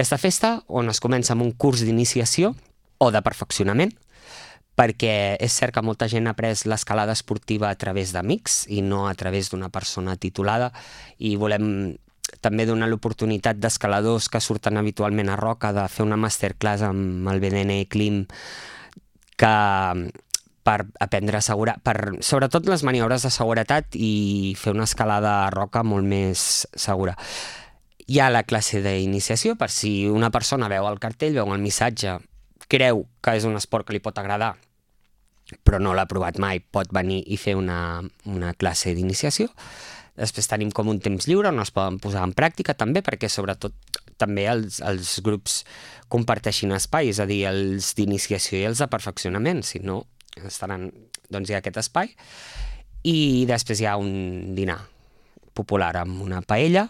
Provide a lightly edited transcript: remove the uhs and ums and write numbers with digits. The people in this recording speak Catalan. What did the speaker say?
Aquesta festa on es comença amb un curs d'iniciació o de perfeccionament, perquè és cert que molta gent ha après l'escalada esportiva a través d'amics i no a través d'una persona titulada, i volem també donar l'oportunitat d'escaladors que surten habitualment a Roca de fer una masterclass amb el BDN Clim per aprendre sobretot les maniobres de seguretat i fer una escalada a Roca molt més segura. Hi ha la classe d'iniciació per si una persona veu el cartell, veu el missatge, creu que és un esport que li pot agradar, però no l'ha provat mai, pot venir i fer una classe d'iniciació. Després tenim com un temps lliure on es poden posar en pràctica també, perquè sobretot també els grups comparteixin espai, és a dir, els d'iniciació i els de perfeccionament, si no estaran, doncs hi ha aquest espai. I després hi ha un dinar popular amb una paella